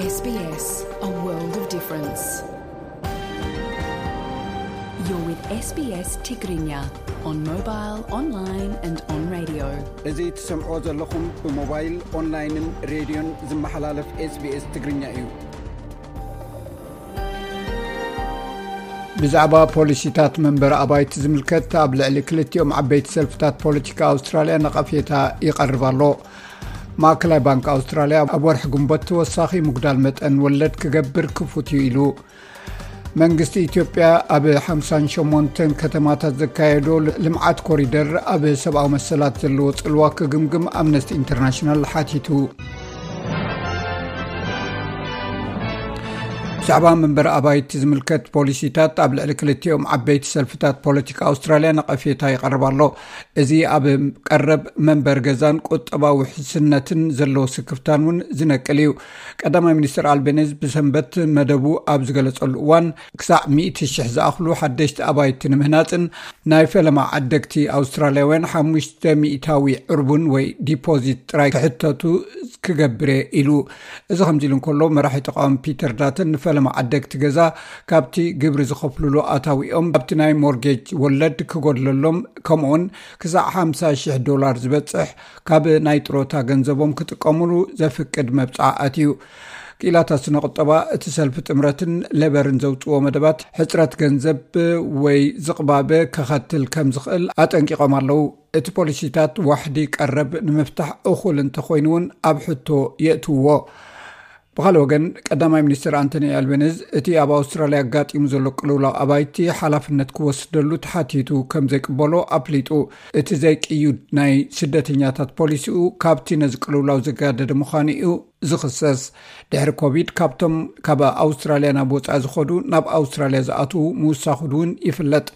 S B S, a world of difference. You're with S B S Tigrinya on mobile, online and on radio. እዚ ትሰምዖ ዘለኹም ብሞባይል፣ ኦንላይንን ሬድዮን ዝመሓላለፍ SBS ትግርኛ እዩ። ብዛዕባ ፖሊሲታት መንበሪ ኣባይቲ ዝምልከት ኣብ ልዕሊ ክልቲኦም ዓበይቲ ሰልፍታት ፖለቲካ ኣውስትራልያ ነቐፌታ ይቐርብ ኣሎ። ማእከላይ ባንክ ኣውስትራልያ ኣብ ወርሒ ግንቦት ተወሳኺ ምጉዳል መጠን ወለድ ክገብር ክፉት እዩ ኢሉ። መንግስቲ ኢትዮጵያ ኣብ ሓምሳን ሸሞንተን ከተማታት ዘካየዶ ልምዓት ኮሪደር ኣብ ሰብኣዊ መሰላት ዘለዎ ጽልዋ ክግምግም ኣምነስቲ ኢንተርናሽናል ሓቲቱ። ብዛዕባ መንበሪ ኣባይቲ ዝምልከት ፖሊሲታት ኣብ ልዕሊ ክልቲኦም ዓበይቲ ሰልፍታት ፖለቲካ ኣውስትራልያ ነቐፌታ ይቐርብ ኣሎ። እዚ ኣብ ቀረብ መንበሪ ገዛን ቁጠባዊ ውሕስነትን ዘለዎ ስክፍታን እውን ዝነቅል እዩ። ቀዳማይ ሚኒስትር ኣልቤኒዝ ብሰንበት መደቡ ኣብ ዝገለጸሉ እዋን፣ ክሳዕ ሚእቲ ሽሕ ዝኣኽሉ ሓደሽቲ ኣባይቲ ንምህናጽን ናይ ፈለማ ዓደግቲ ኣውስትራልያውያን ሓሙሽተ ሚእታዊ ዕርቡን ወይ ዲፖዚት ጥራይ ክሕተቱ ክገብር እየ ኢሉ። እዚ ከምዚ ኢሉ እንከሎ፣ መራሒ ተቃዋሚ ፒተር ዳተን ንፈለማ ዓደግቲ ገዛ ካብቲ ግብሪ ዝኸፍሉሉ ኣታዊኦም ኣብቲ ናይ ሞርጌጅ ወለድ ክጎድለሎም፣ ከምኡውን ክሳዕ ሓምሳ ሽሕ ዶላር ዝበጽሕ ካብ ናይ ጥሮታ ገንዘቦም ክጥቀሙሉ ዘፍቅድ መብጽዓ ኣትዩ። ክኢላታት ስነ ቁጠባ እቲ ሰልፊ ጥምረትን ሌበርን ዘውጽዎ መደባት ሕጽረት ገንዘብ ወይ ዝቕባበ ከኸትል ከም ዝኽእል ኣጠንቂቖም ኣለዉ። እቲ ፖሊሲታት ዋሕዲ ቀረብ ንምፍታሕ እኹል እንተኾይኑ እውን ኣብ ሕቶ የእትውዎ። ብኻልእ ወገን፣ ቀዳማይ ሚኒስትር ኣንቶኒ ኣልቤኒዝ እቲ ኣብ ኣውስትራልያ ኣጋጢሙ ዘሎ ቅልውላው ኣባይቲ ሓላፍነት ክወስደሉ ተሓቲቱ ከም ዘይቅበሎ ኣፍሊጡ። እቲ ዘይቅዩድ ናይ ስደተኛታት ፖሊሲኡ ካብቲ ነዚ ቅልውላው ዘጋደደ ምዃኑ እዩ ዝኽሰስ። ድሕሪ ኮቪድ፣ ካብቶም ካብ ኣውስትራልያ ናብ ወጻኢ ዝኸዱ ናብ ኣውስትራልያ ዝኣትዉ ምውሳኹ እውን ይፍለጥ።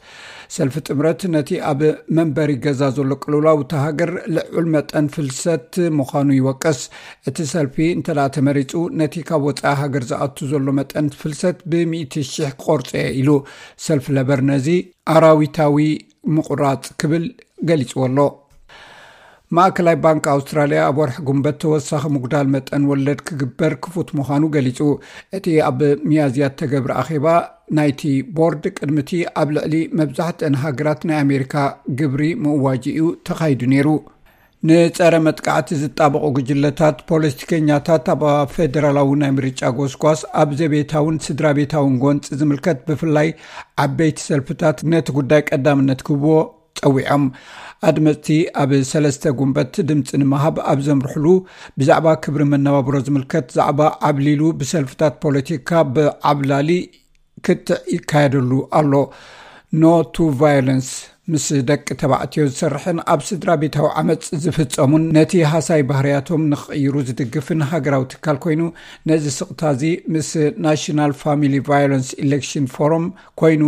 ሰልፊ ጥምረት ነቲ ኣብ መንበሪ ገዛ ዘሎ ቅልውላው እታ ሃገር ልዑል መጠን ፍልሰት ምዃኑ ይወቅስ። እቲ ሰልፊ እንተ ደኣ ተመሪጹ፣ ነቲ ካብ ወጻኢ ሃገር ዝኣቱ ዘሎ መጠን ፍልሰት ብሚእቲ ሽሕ ክቆርጾ እየ ኢሉ። ሰልፊ ለበር ነዚ ኣራዊታዊ ምቑራጽ ክብል ገሊጽዎ ኣሎ። ማእከላይ ባንክ ኣውስትራልያ ኣብ ወርሒ ጉንበት ተወሳኺ ምጉዳል መጠን ወለድ ክግበር ክፉት ምዃኑ ገሊጹ። እቲ ኣብ ሚያዝያ እተገብረ ኣኼባ ናይቲ ቦርድ፣ ቅድሚቲ ኣብ ልዕሊ መብዛሕትአን ሃገራት ናይ ኣሜሪካ ግብሪ ምእዋጅ እዩ ተኻይዱ ነይሩ። ንጸረ መጥቃዕቲ ዝጣበቑ ጉጅለታት፣ ፖለቲከኛታት ኣብ ፌደራላዊ ናይ ምርጫ ጎስጓስ፣ ኣብ ዘቤታውን ስድራ ቤታውን ጎንጺ ዝምልከት፣ ብፍላይ ዓበይቲ ሰልፍታት ነቲ ጉዳይ ቀዳምነት ክህብዎ ጸዊዖም። ኣድመጽቲ ኣብ ሰለስተ ጉንበት ድምጺ ንምሃብ ኣብ ዘምርሕሉ፣ ብዛዕባ ክብሪ መነባብሮ ዝምልከት ዛዕባ ዓብሊሉ ብሰልፍታት ፖለቲካ ብዓብላሊ ክትዕ ይካየደሉ ኣሎ። ኖ ቱ ቫዮለንስ፣ ምስ ደቂ ተባዕትዮ ዝሰርሕን ኣብ ስድራ ቤታዊ ዓመጽ ዝፍጸሙን ነቲ ሃሳይ ባህርያቶም ንኽቕይሩ ዝድግፍን ሃገራዊ ትካል ኮይኑ፣ ነዚ ስቕታ እዚ ምስ ናሽናል ፋሚሊ ቫዮለንስ ኢሌክሽን ፎረም ኮይኑ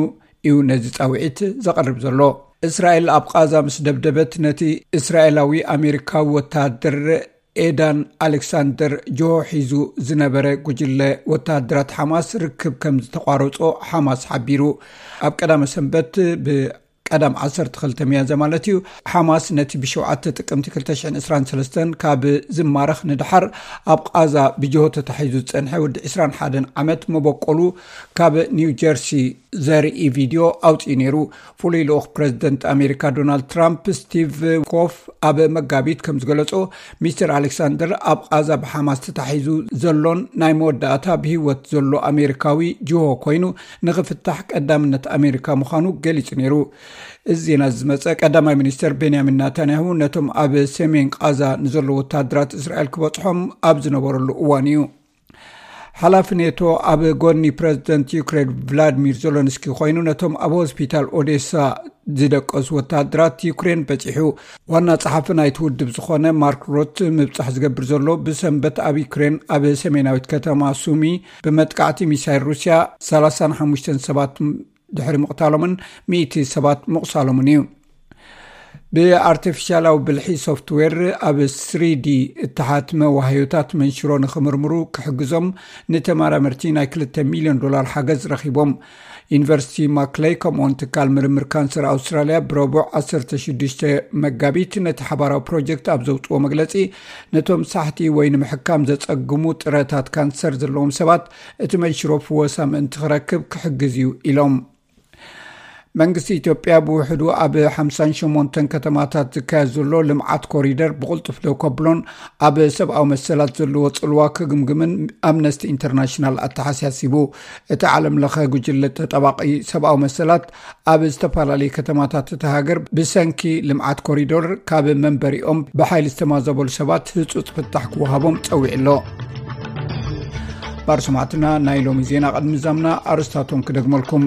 እዩ ነዚ ጻውዒት ዘቕርብ ዘሎ። እስራኤል ኣብ ቓዛ ምስ ደብደበት፣ ነቲ እስራኤላዊ ኣሜሪካዊ ወተሃደር ኤዳን ኣሌክሳንደር ጆሆ ሒዙ ዝነበረ ጉጅለ ወተሃደራት ሓማስ ርክብ ከም ዝተቋረጾ ሓማስ ሓቢሩ። ኣብ ቀዳመ ሰንበት፣ ብቀዳም ዓሰርተ ክልተ ሚያዝያ ማለት እዩ፣ ሓማስ ነቲ ብሸውዓተ ጥቅምቲ ክልተ ሽሕን ዕስራን ሰለስተን ካብ ዝማረኽ ንደሓር፣ ኣብ ቓዛ ብጅሆ ተታሒዙ ዝጸንሐ ወዲ ዕስራን ሓደን ዓመት መበቆሉ ካብ ኒው ጀርሲ ዘርኢ ቪድዮ ኣውጺኡ ነይሩ። ፍሉይ ልኡኽ ፕረዚደንት ኣሜሪካ ዶናልድ ትራምፕ፣ ስቲቭ ኮፍ፣ ኣብ መጋቢት ከም ዝገለጾ፣ ሚስተር ኣሌክሳንደር ኣብ ቓዛ ብሓማስ ተታሒዙ ዘሎን ናይ መወዳእታ ብህይወት ዘሎ ኣሜሪካዊ ጅሆ ኮይኑ፣ ንኽፍታሕ ቀዳምነት ኣሜሪካ ምዃኑ ገሊጹ ነይሩ። እዚ ዜና እዚ ዝመጸ፣ ቀዳማይ ሚኒስተር ቤንያሚን ናታንያሁ ነቶም ኣብ ሰሜን ቓዛ ንዘለዉ ወተሃደራት እስራኤል ክበጽሖም ኣብ ዝነበረሉ እዋን እዩ። ሓላፊ ኔቶ ኣብ ጎኒ ፕረዚደንት ዩክሬን ቭላድሚር ዜለንስኪ ኮይኑ፣ ነቶም ኣብ ሆስፒታል ኦዴሳ ዝደቀሱ ወተሃደራት ዩክሬን በጺሑ። ዋና ጸሓፊ ናይቲ ውድብ ዝኾነ ማርክ ሮት ምብጻሕ ዝገብር ዘሎ፣ ብሰንበት ኣብ ዩክሬን ኣብ ሰሜናዊት ከተማ ሱሚ ብመጥቃዕቲ ሚሳይል ሩስያ ሰላሳን ሓሙሽተን ሰባት ድሕሪ ምቕታሎምን ሚእቲ ሰባት ምቑሳሎምን እዩ። ብኣርቲፊሻላዊ ብልሒ ሶፍትዌር ኣብ ስሪዲ እተሓትመ ዋህዮታት መንሽሮ ንኽምርምሩ ክሕግዞም ንተመራመርቲ ናይ ክልተ ሚልዮን ዶላር ሓገዝ ረኺቦም። ዩኒቨርሲቲ ማክለይ ከምኡውን ትካል ምርምር ካንሰር ኣውስትራልያ ብረቡዕ ዓሰርተ ሽዱሽተ መጋቢት ነቲ ሓባራዊ ፕሮጀክት ኣብ ዘውፅዎ መግለፂ፣ ነቶም ሳሕቲ ወይ ንምሕካም ዘፀግሙ ጥረታት ካንሰር ዘለዎም ሰባት እቲ መንሽሮ ፍወሳ ምእንቲ ክረክብ ክሕግዝ እዩ ኢሎም። መንግስቲ ኢትዮጵያ ብውሕዱ ኣብ ሓምሳን ሸሞንተን ከተማታት ዝካየድ ዘሎ ልምዓት ኮሪደር ብቕልጡፍ ደው ከብሎን ኣብ ሰብኣዊ መሰላት ዘለዎ ጽልዋ ክግምግምን ኣምነስቲ ኢንተርናሽናል ኣተሓሳሲቡ። እቲ ዓለም ለኸ ጉጅለ ተጠባቂ ሰብኣዊ መሰላት ኣብ ዝተፈላለዩ ከተማታት እቲ ሃገር ብሰንኪ ልምዓት ኮሪደር ካብ መንበሪኦም ብሓይሊ ዝተማዘበሉ ሰባት ህጹጽ ፍታሕ ክወሃቦም ጸዊዑ ኣሎ። ባር ሰማዕትና ናይ ሎሚ ዜና ቅድሚ ዛምና ኣርስታቶም ክደግመልኩም።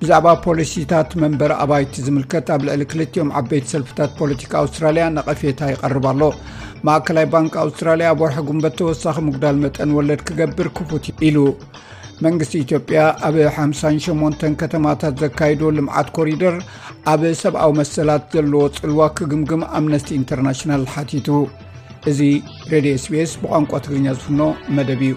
ብዛዕባ ፖሊሲታት መንበሪ ኣባይቲ ዝምልከት ኣብ ልዕሊ ክልቲኦም ዓበይቲ ሰልፍታት ፖለቲካ ኣውስትራልያ ነቐፌታ ይቐርብ ኣሎ። ማእከላይ ባንክ ኣውስትራልያ ኣብ ወርሒ ጉንበት ተወሳኺ ምጉዳል መጠን ወለድ ክገብር ክፉት ኢሉ። መንግስቲ ኢትዮጵያ ኣብ ሓምሳን ሸሞንተን ከተማታት ዘካይዶ ልምዓት ኮሪደር ኣብ ሰብኣዊ መሰላት ዘለዎ ጽልዋ ክግምግም ኣምነስቲ ኢንተርናሽናል ሓቲቱ። እዚ ሬድዮ ኤስቢኤስ ብቋንቋ ትግርኛ ዝፍኖ መደብ እዩ።